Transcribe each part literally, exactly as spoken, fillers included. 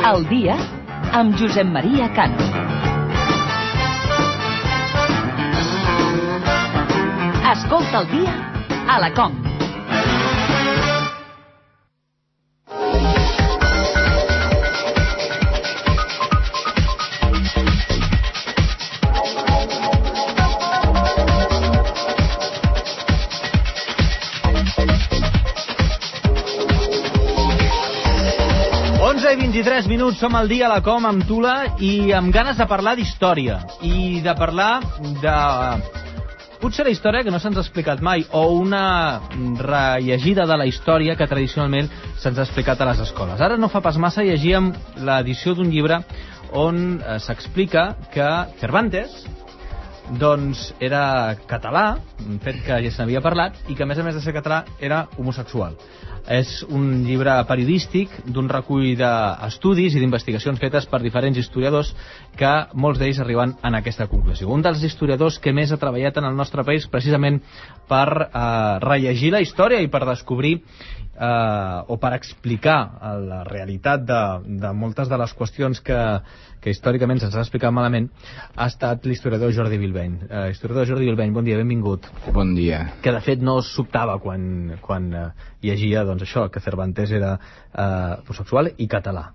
El dia amb Josep Maria Cano. Escolta el dia a la COM. onze i vint-i-tres minuts, som al dia a la COM amb Tula i amb ganes de parlar d'història i de parlar de... potser la història que no se'ns ha explicat mai o una rellegida de la història que tradicionalment se'ns ha explicat a les escoles. Ara no fa pas massa llegíem l'edició d'un llibre on eh, s'explica que Cervantes doncs era català, un fet que ja se n'havia parlat, i que a més a més de ser català era homosexual. És un llibre periodístic d'un recull d'estudis i d'investigacions fetes per diferents historiadors que molts d'ells arriben en aquesta conclusió. Un dels historiadors que més ha treballat en el nostre país precisament per eh, rellegir la història i per descobrir eh, o per explicar la realitat de, de moltes de les qüestions que, que històricament se'ns ha explicat malament ha estat l'historiador Jordi Bilbeny. Eh, historiador Jordi Bilbeny, bon dia, benvingut. Bon dia. Que de fet no sobtava quan, quan eh, llegia doncs això, que Cervantes era eh, homosexual i català.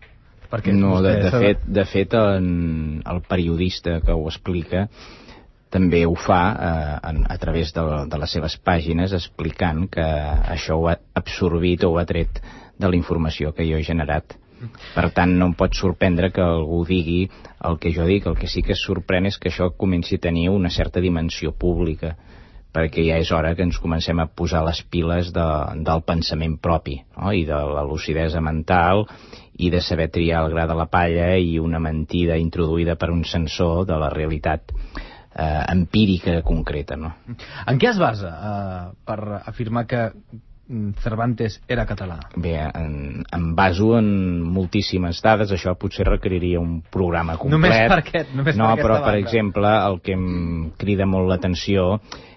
Perquè no, de, de, sabe... fet, de fet en, el periodista que ho explica també ho fa eh, en, a través de, de les seves pàgines explicant que això ho ha absorbit o ho ha tret de la informació que jo he generat. Per tant, no em pot sorprendre que algú digui el que jo dic. El que sí que es sorprèn és que això comenci a tenir una certa dimensió pública, perquè ja és hora que ens comencem a posar les piles de, del pensament propi, no? I de la lucidesa mental i de saber triar el gra de la palla i una mentida introduïda per un sensor de la realitat eh, empírica concreta, no? En què es basa eh, per afirmar que Cervantes era català? Bé, en, em baso en moltíssimes dades, això potser requeriria un programa complet. Només per aquest, només no, per però, banda. per exemple, el que em crida molt l'atenció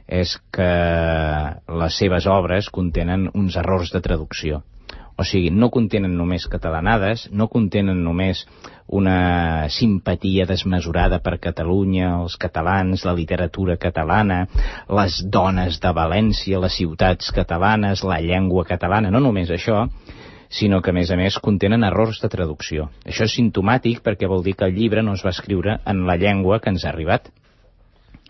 és que les seves obres contenen uns errors de traducció. O sigui, no contenen només catalanades, no contenen només una simpatia desmesurada per Catalunya, els catalans, la literatura catalana, les dones de València, les ciutats catalanes, la llengua catalana, no només això, sinó que a més a més contenen errors de traducció. Això és simptomàtic perquè vol dir que el llibre no es va escriure en la llengua que ens ha arribat.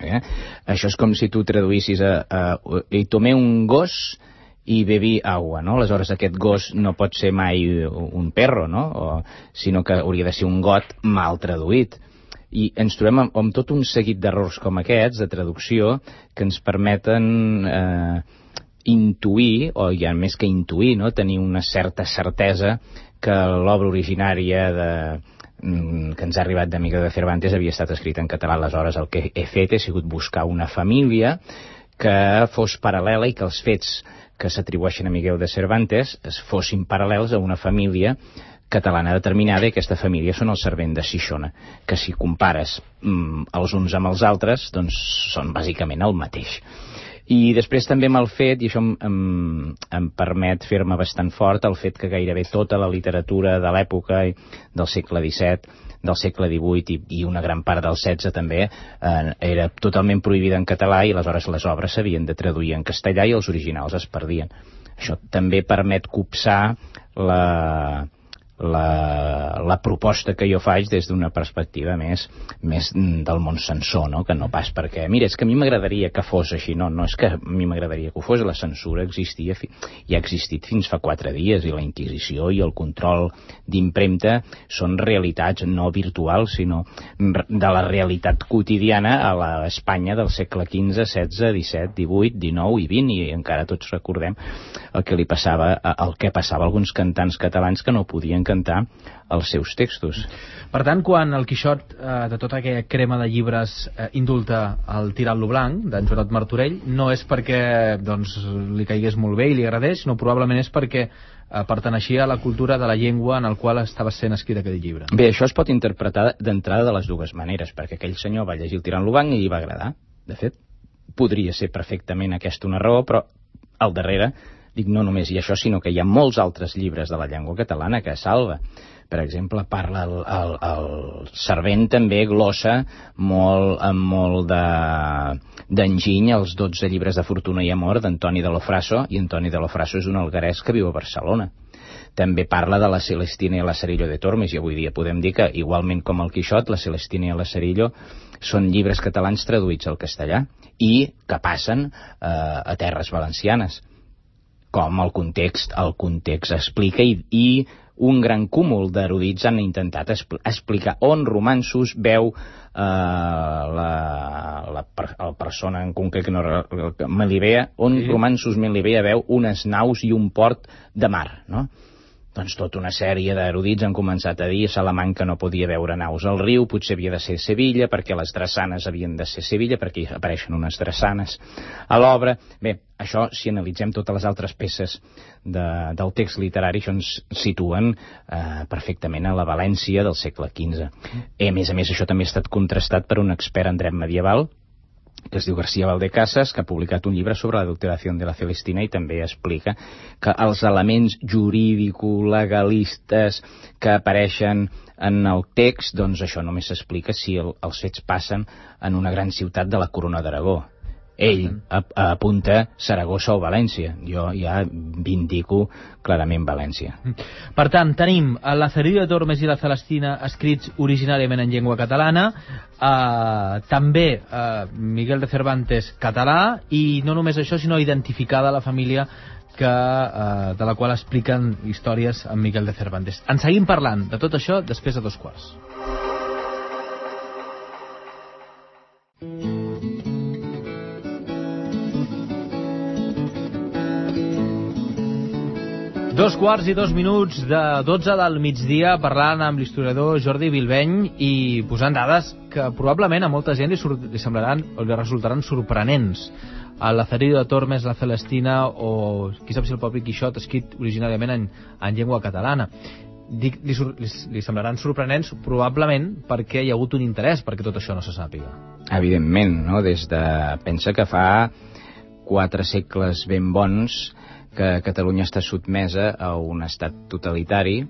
Eh? Això és com si tu traduïssis a, a, i tomé un gos i bebi aigua, no? Aleshores aquest gos no pot ser mai un perro, no? O, sinó que hauria de ser un got mal traduït. I ens trobem amb, amb tot un seguit d'errors com aquests, de traducció, que ens permeten eh, intuir, o ja més que intuir, no? Tenir una certa certesa que l'obra originària de, que ens ha arribat de Miguel de Cervantes havia estat escrita en català. Aleshores el que he fet he sigut buscar una família que fos paral·lela i que els fets que s'atribueixen a Miguel de Cervantes fossin paral·lels a una família catalana determinada, i aquesta família són els Servent de Xixona, que si compares mm, els uns amb els altres, doncs són bàsicament el mateix. I després també m'ha fet, i això em, em, em permet fer-me bastant fort, el fet que gairebé tota la literatura de l'època del segle disset, del segle divuit i, i una gran part del setze també, eh, era totalment prohibida en català, i aleshores les obres s'havien de traduir en castellà i els originals es perdien. Això també permet copsar la... La, la proposta que jo faig des d'una perspectiva més, més del món censor, no? Que no pas perquè, mira, és que a mi m'agradaria que fos així, no, no és que a mi m'agradaria que ho fos, la censura existia i ha existit fins fa quatre dies, i la Inquisició i el control d'impremta són realitats no virtuals, sinó de la realitat quotidiana a l'Espanya del segle quinze, setze, disset, divuit, dinou i vint, i encara tots recordem el que li passava, el que passava a alguns cantants catalans que no podien cantar els seus textos. Per tant, quan el Quixot eh, de tota aquella crema de llibres eh, indulta el Tirant-lo blanc d'en Joanot Martorell, no és perquè doncs, li caigués molt bé i li agradés, sinó probablement és perquè eh, perteneixia a la cultura de la llengua en el qual estava sent escrit aquell llibre. Bé, això es pot interpretar d'entrada de les dues maneres, perquè aquell senyor va llegir el Tirant-lo blanc i li va agradar. De fet, podria ser perfectament aquesta una raó, però al darrere Dic no només i això, sinó que hi ha molts altres llibres de la llengua catalana que salva. Per exemple, parla el, el, el Servent també glossa molt, amb molt d'enginy els dotze llibres de Fortuna i Amor d'Antoni de Lofraso, i Antoni de Lofraso és un alguerès que viu a Barcelona. També parla de la Celestina i l'Acerillo de Tormes, i avui dia podem dir que, igualment com el Quixot, la Celestina i l'Acerillo són llibres catalans traduïts al castellà i que passen eh, a terres valencianes. Com el context, el context explica i, i un gran cúmul d'erudits han intentat expl explicar on Romanços veu eh, la, la, la persona en concret que no, Melibea, on sí. Romanços Melibea veu unes naus i un port de mar, no? Doncs tota una sèrie d'erudits han començat a dir Salamanca no podia veure naus al riu, potser havia de ser Sevilla, perquè les drassanes havien de ser Sevilla, perquè hi apareixen unes drassanes a l'obra. Bé, això, si analitzem totes les altres peces de, del text literari, això ens situen eh, perfectament a la València del segle quinze. I, a més a més, això també ha estat contrastat per un expert en dret medieval, que es diu García Valdecasas, que ha publicat un llibre sobre l'adulteració de la Celestina i també explica que els elements jurídico-legalistes que apareixen en el text, doncs això només s'explica si el, els fets passen en una gran ciutat de la Corona d'Aragó. Ell apunta Saragossa o València. Jo ja vindico clarament València. Per tant, tenim l'Acerillo de Tormes i la Celestina escrits originàriament en llengua catalana, eh, també eh, Miguel de Cervantes català, i no només això, sinó identificada la família que, eh, de la qual expliquen històries amb Miguel de Cervantes. En seguim parlant de tot això després de dos quarts. Dos quarts i dos minuts de dotze del migdia, parlant amb l'historiador Jordi Bilbeny i posant dades que probablement a molta gent li, li semblaran o li resultaran sorprenents. L'Acerillo de Tormes, la Celestina o qui sap si el propi Quixot escrit originàriament en, en llengua catalana. Dic, li, li, li semblaran sorprenents probablement perquè hi ha hagut un interès perquè tot això no se sàpiga. Evidentment, no? Des de... Pensa que fa quatre segles ben bons que Catalunya està sotmesa a un estat totalitari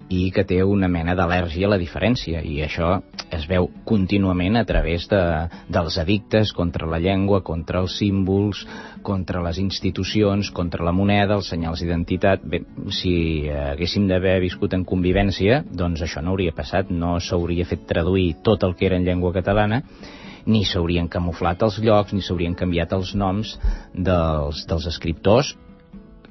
i que té una mena d'al·lèrgia a la diferència, i això es veu contínuament a través de, dels edictes contra la llengua, contra els símbols, contra les institucions, contra la moneda, els senyals d'identitat. Bé, si haguéssim d'haver viscut en convivència, doncs això no hauria passat, no s'hauria fet traduir tot el que era en llengua catalana, ni s'haurien camuflat els llocs, ni s'haurien canviat els noms dels, dels escriptors,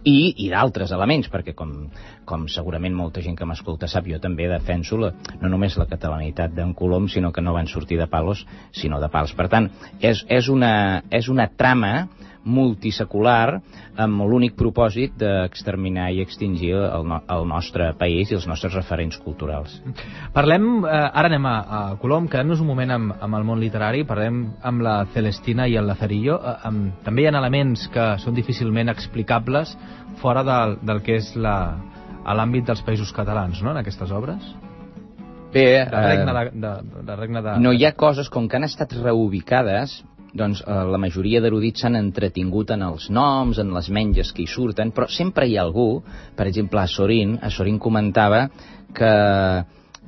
i, i d'altres elements, perquè com, com segurament molta gent que m'escolta sap, jo també defenso la, no només la catalanitat d'en Colom, sinó que no van sortir de palos, sinó de pals. Per tant, és, és, una, és una trama multisecular amb l'únic propòsit d'exterminar i extingir el, no, el nostre país i els nostres referents culturals. Parlem, eh, ara anem a, a Colom, quedem-nos un moment amb, amb el món literari, parlem amb la Celestina i el Lazarillo. Eh, amb, també hi ha elements que són difícilment explicables fora del, del que és l'àmbit dels països catalans, no?, en aquestes obres? Bé, de regne de, de, de regne de... no hi ha coses, com que han estat reubicades, doncs eh, la majoria d'erudits s'han entretingut en els noms, en les menges que hi surten, però sempre hi ha algú, per exemple a Sorin, a Sorin comentava que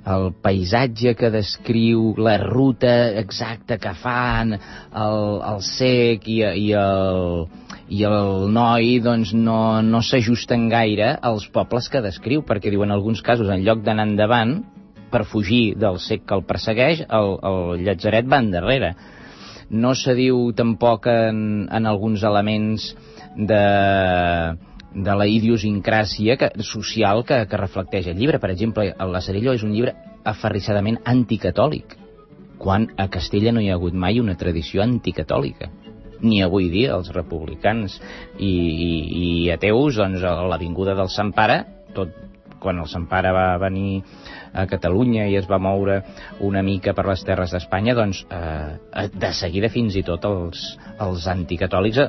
el paisatge que descriu, la ruta exacta que fan, el, el cec i, i, el, i el noi, doncs no, no s'ajusten gaire als pobles que descriu, perquè diuen en alguns casos, en lloc d'anar endavant, per fugir del cec que el persegueix, el, el llatzeret va endarrere. No se diu tampoc en, en alguns elements de, de la idiosincràsia que, social que, que reflecteix el llibre. Per exemple, el Lazarillo és un llibre aferrissadament anticatòlic, quan a Castella no hi ha hagut mai una tradició anticatòlica. Ni avui dia els republicans i, i, i ateus, doncs a l'avinguda del Sant Pare, tot, quan el Sant Pare va venir a Catalunya i es va moure una mica per les terres d'Espanya, doncs eh, de seguida fins i tot els, els anticatòlics eh,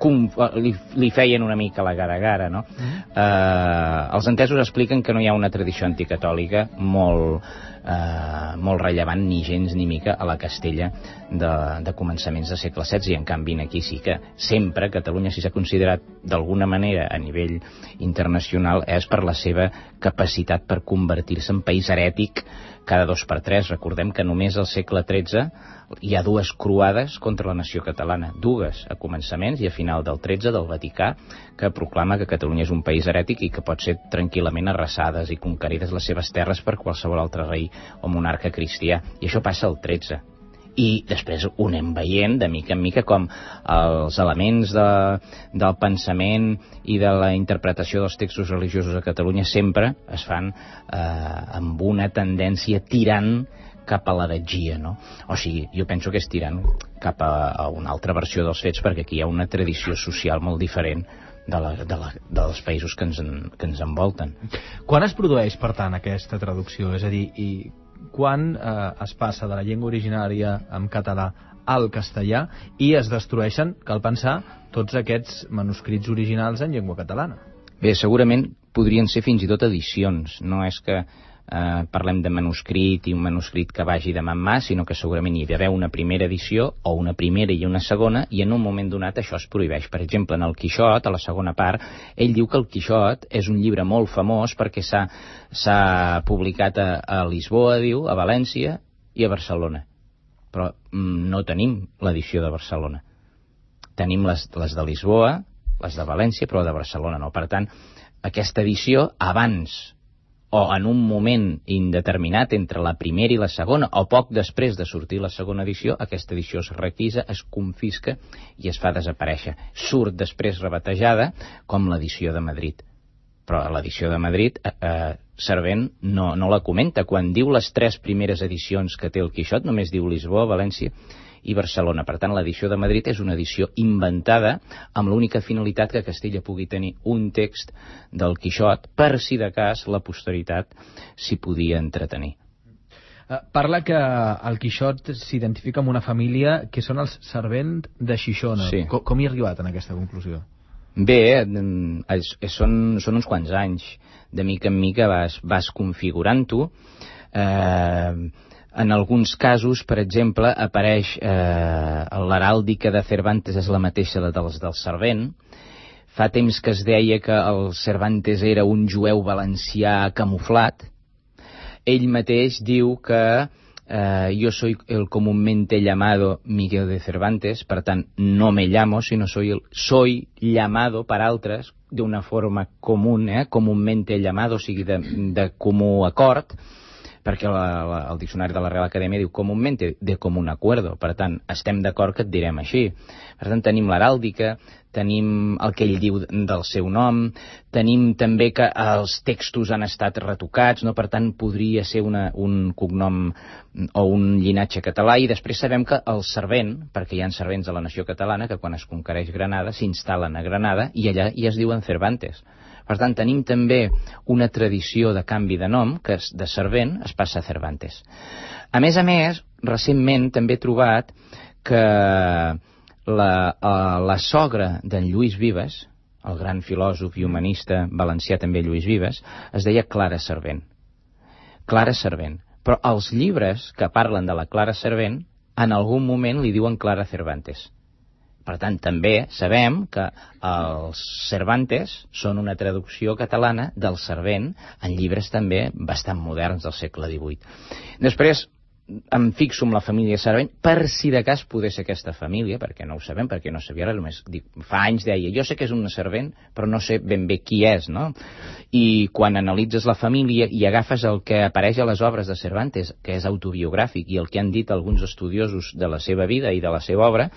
com, li, li feien una mica la gara-gara, no? Mm. Eh, els entesos expliquen que no hi ha una tradició anticatòlica molt eh, molt rellevant ni gens ni mica a la Castella de, de començaments de segle setze, i en canvi aquí sí que sempre Catalunya, si s'ha considerat d'alguna manera a nivell internacional, és per la seva capacitat per convertir-se en país herètic cada dos per tres. Recordem que només al segle tretze hi ha dues croades contra la nació catalana, dues a començaments i a final del tretze del Vaticà, que proclama que Catalunya és un país herètic i que pot ser tranquil·lament arrasades i conquerides les seves terres per qualsevol altre rei o monarca cristià, i això passa al tretze. I després ho anem veient de mica en mica com els elements de, del pensament i de la interpretació dels textos religiosos a Catalunya sempre es fan eh, amb una tendència tirant cap a l'heretgia, no? O sigui, jo penso que és tirant cap a, a una altra versió dels fets, perquè aquí hi ha una tradició social molt diferent de la, de la, dels països que ens, en, que ens envolten. Quan es produeix, per tant, aquesta traducció? És a dir, i quan eh, es passa de la llengua originària en català al castellà i es destrueixen, cal pensar, tots aquests manuscrits originals en llengua catalana? Bé, segurament podrien ser fins i tot edicions. No és que eh, parlem de manuscrit i un manuscrit que vagi de mà en mà, sinó que segurament hi ha d'haver una primera edició o una primera i una segona, i en un moment donat això es prohibeix. Per exemple, en el Quixot, a la segona part, ell diu que el Quixot és un llibre molt famós perquè s'ha s'ha publicat a, a Lisboa, diu, a València i a Barcelona. Però mm, no tenim l'edició de Barcelona. Tenim les, les de Lisboa, les de València, però de Barcelona no. Per tant, aquesta edició abans o en un moment indeterminat entre la primera i la segona, o poc després de sortir la segona edició, aquesta edició es requisa, es confisca i es fa desaparèixer. Surt després rebatejada com l'edició de Madrid. Però l'edició de Madrid, eh, Servent no, no la comenta. Quan diu les tres primeres edicions que té el Quixot, només diu Lisboa, València i Barcelona. Per tant, l'edició de Madrid és una edició inventada amb l'única finalitat que Castella pugui tenir un text del Quixot per si de cas la posteritat s'hi podia entretenir. Uh, parla que el Quixot s'identifica amb una família que són els Servent de Xixona. Sí. Com, com hi ha arribat en aquesta conclusió? Bé, és, és, són, són uns quants anys. De mica en mica vas, vas configurant-ho. Eh... En alguns casos, per exemple, apareix eh, l'heràldica de Cervantes és la mateixa dels del Servent. Fa temps que es deia que el Cervantes era un jueu valencià camuflat. Ell mateix diu que eh, jo soy el comúnmente llamado Miguel de Cervantes, per tant, no me llamo, sinó soy, el, soy llamado per altres d'una forma comú, eh, comúnmente llamado, o sigui, de, de comú acord, perquè la, la, el diccionari de la Real Acadèmia diu comúnmente, de común acuerdo. Per tant, estem d'acord que et direm així. Per tant, tenim l'heràldica, tenim el que ell diu del seu nom, tenim també que els textos han estat retocats, no? Per tant, podria ser una, un cognom o un llinatge català, i després sabem que el servent, perquè hi ha servents de la nació catalana, que quan es conquereix Granada s'instal·len a Granada i allà ja es diuen Cervantes. Per tant, tenim també una tradició de canvi de nom, que de servent es passa a Cervantes. A més a més, recentment també he trobat que la, la sogra d'en Lluís Vives, el gran filòsof i humanista valencià també Lluís Vives, es deia Clara Servent. Clara Servent. Però els llibres que parlen de la Clara Servent, en algun moment li diuen Clara Cervantes. Per tant, també sabem que els Cervantes són una traducció catalana del Servent en llibres també bastant moderns del segle divuit. Després em fixo en la família Servent per si de cas poder ser aquesta família, perquè no ho sabem, perquè no sabia res, només dic, fa anys deia, jo sé que és un servent, però no sé ben bé qui és, no? I quan analitzes la família i agafes el que apareix a les obres de Cervantes, que és autobiogràfic, i el que han dit alguns estudiosos de la seva vida i de la seva obra,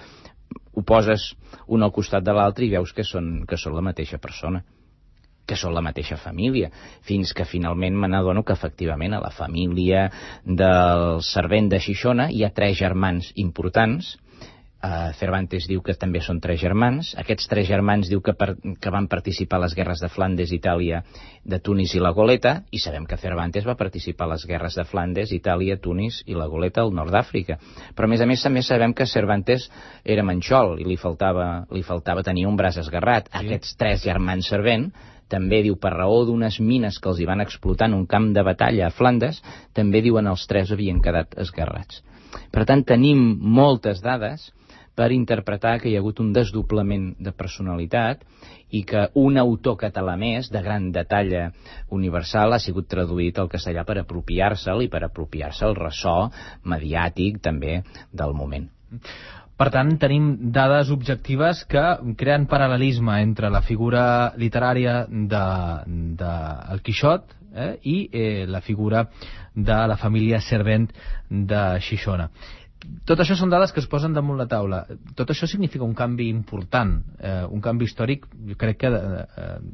ho poses un al costat de l'altre i veus que són, que són la mateixa persona, que són la mateixa família, fins que finalment me n'adono que efectivament a la família del servent de Xixona hi ha tres germans importants, Uh, Cervantes diu que també són tres germans. Aquests tres germans diu que, per, que van participar a les guerres de Flandes, Itàlia, de Tunis i la Goleta, i sabem que Cervantes va participar a les guerres de Flandes, Itàlia, Tunis i la Goleta al nord d'Àfrica. Però a més a més també sabem que Cervantes era manxol i li faltava, li faltava tenir un braç esgarrat. Sí. Aquests tres germans servent també diu, per raó d'unes mines que els hi van explotar en un camp de batalla a Flandes, també diuen els tres havien quedat esgarrats. Per tant, tenim moltes dades per interpretar que hi ha hagut un desdoblament de personalitat i que un autor català més, de gran detalla universal, ha sigut traduït al castellà per apropiar-se'l i per apropiar-se el ressò mediàtic també del moment. Per tant, tenim dades objectives que creen paral·lelisme entre la figura literària de, de el Quixot eh, i eh, la figura de la família Servent de Xixona. Tot això són dades que es posen damunt la taula. Tot això significa un canvi important, eh, un canvi històric, jo crec que de,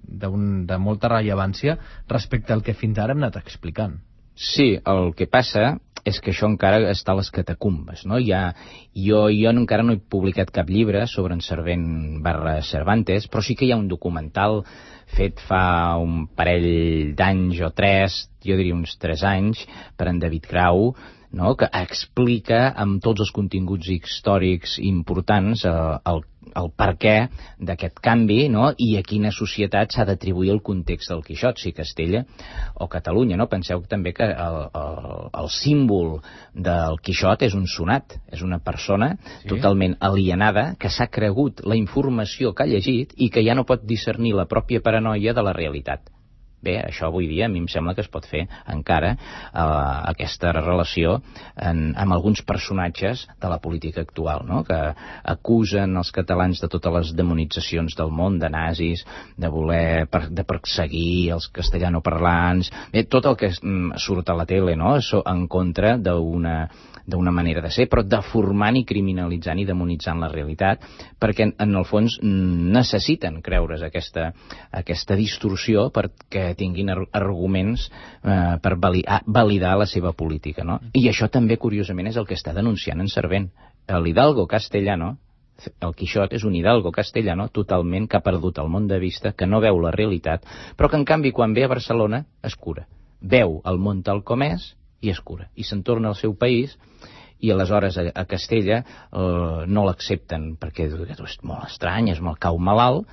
de, un, de molta rellevància respecte al que fins ara hem anat explicant. Sí, el que passa és que això encara està a les catacumbes, no? Ja, jo, jo encara no he publicat cap llibre sobre en Servent barra Cervantes, però sí que hi ha un documental fet fa un parell d'anys o tres, jo diria uns tres anys, per en David Grau, no? Que explica amb tots els continguts històrics importants eh, el, el perquè d'aquest canvi, no? I a quina societat s'ha d'atribuir el context del Quixot, si Castella o Catalunya. No? Penseu també que el, el, el símbol del Quixot és un sonat, és una persona sí. totalment alienada que s'ha cregut la informació que ha llegit i que ja no pot discernir la pròpia paranoia de la realitat. Bé, això avui dia a mi em sembla que es pot fer encara eh, aquesta relació en, amb alguns personatges de la política actual, no? Que acusen els catalans de totes les demonitzacions del món, de nazis, de voler per, de perseguir els castellanoparlants, bé, tot el que surt a la tele, no? En contra d'una d'una manera de ser, però deformant i criminalitzant i demonitzant la realitat, perquè en el fons necessiten creure's aquesta, aquesta distorsió perquè tinguin arguments eh, per validar la seva política, no? I això també, curiosament, és el que està denunciant en Servent. L'Hidalgo castellano, el Quixot és un Hidalgo castellano totalment que ha perdut el món de vista, que no veu la realitat, però que en canvi quan ve a Barcelona es cura. Veu el món tal com és i es cura. I se'n torna al seu país i aleshores a, a Castella eh, no l'accepten perquè és molt estrany, és molt cau malalt,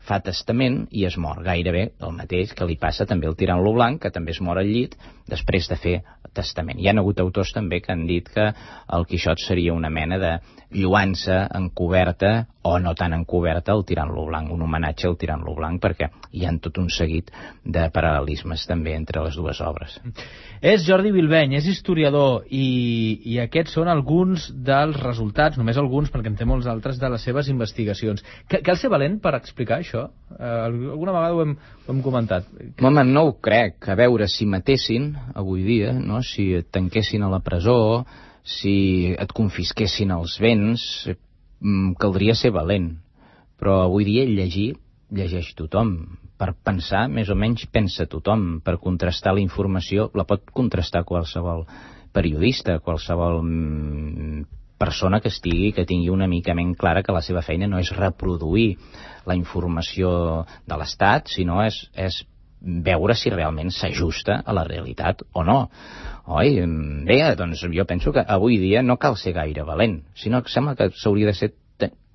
fa testament i es mor. Gairebé el mateix que li passa també al Tirant-lo Blanc, que també es mor al llit després de fer testament. Hi ha hagut autors també que han dit que el Quixot seria una mena de lluança encoberta o no tan encoberta al Tirant-lo Blanc, un homenatge al Tirant-lo Blanc, perquè hi ha tot un seguit de paral·lelismes també entre les dues obres. És Jordi Bilbeny, és historiador i, i aquests són alguns dels resultats, només alguns perquè en té molts altres, de les seves investigacions. Cal ser valent per explicar això? Eh, alguna vegada ho hem, ho hem comentat. Home, no ho crec. A veure, si matessin avui dia, no? Si et tanquessin a la presó, si et confisquessin els béns, caldria ser valent. Però avui dia llegir, llegeix tothom. Per pensar, més o menys pensa tothom. Per contrastar la informació, la pot contrastar qualsevol periodista, qualsevol persona que estigui, que tingui una mica menys clara que la seva feina no és reproduir la informació de l'Estat, sinó és, és veure si realment s'ajusta a la realitat o no. Oi? Bé, doncs jo penso que avui dia no cal ser gaire valent, sinó que sembla que s'hauria de ser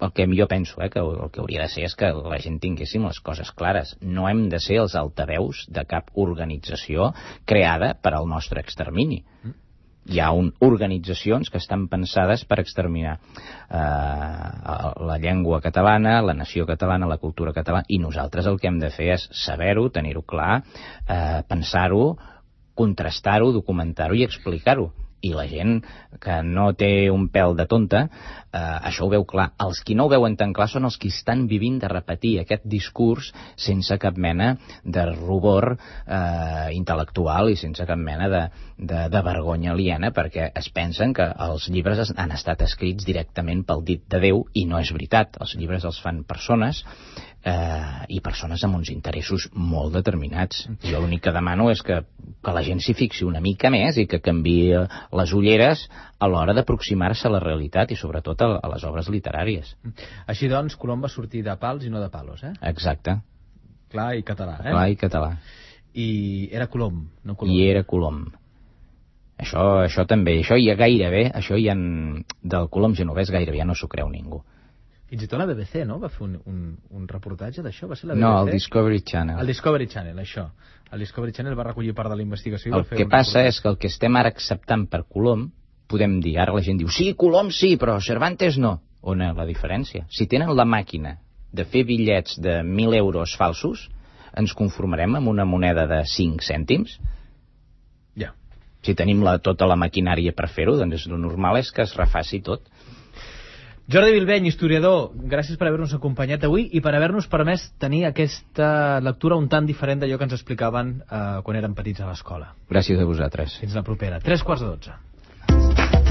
el que jo penso, eh, que el que hauria de ser és que la gent tinguéssim les coses clares. No hem de ser els altaveus de cap organització creada per al nostre extermini. Hi ha un, organitzacions que estan pensades per exterminar eh, la llengua catalana, la nació catalana, la cultura catalana, i nosaltres el que hem de fer és saber-ho, tenir-ho clar, eh, pensar-ho, contrastar-ho, documentar-ho i explicar-ho. I la gent que no té un pèl de tonta, eh, això ho veu clar. Els qui no ho veuen tan clar són els que estan vivint de repetir aquest discurs sense cap mena de rubor eh, intel·lectual i sense cap mena de, de, de vergonya aliena, perquè es pensen que els llibres han estat escrits directament pel dit de Déu, i no és veritat. Els llibres els fan persones eh, i persones amb uns interessos molt determinats. Jo l'únic que demano és que, que la gent s'hi fixi una mica més i que canviï les ulleres a l'hora d'aproximar-se a la realitat i sobretot a, a les obres literàries. Així doncs, Colom va sortir de pals i no de palos, eh? Exacte. Clar i català, eh? Clar i català. I era Colom, no Colom. I era Colom. Això, això també, això ja gairebé, això ja en, del Colom genovès gairebé ja no s'ho creu ningú. Fins i tot la B B C, no? Va fer un, un, un reportatge d'això? Va ser la B B C? No, el Discovery Channel. El Discovery Channel, això. El Discovery Channel va recollir part de la investigació i el va fer que un passa reportatge. és que el que estem ara acceptant per Colom, podem dir, ara la gent diu, sí, Colom sí, però Cervantes no. On és la diferència? Si tenen la màquina de fer bitllets de mil euros falsos, ens conformarem amb una moneda de cinc cèntims? Ja. Si tenim la, tota la maquinària per fer-ho, doncs el normal és que es refaci tot. Jordi Bilbeny, historiador, gràcies per haver-nos acompanyat avui i per haver-nos permès tenir aquesta lectura un tant diferent d'allò que ens explicaven eh, quan érem petits a l'escola. Gràcies a vosaltres. Fins la propera. Tres quarts de dotze.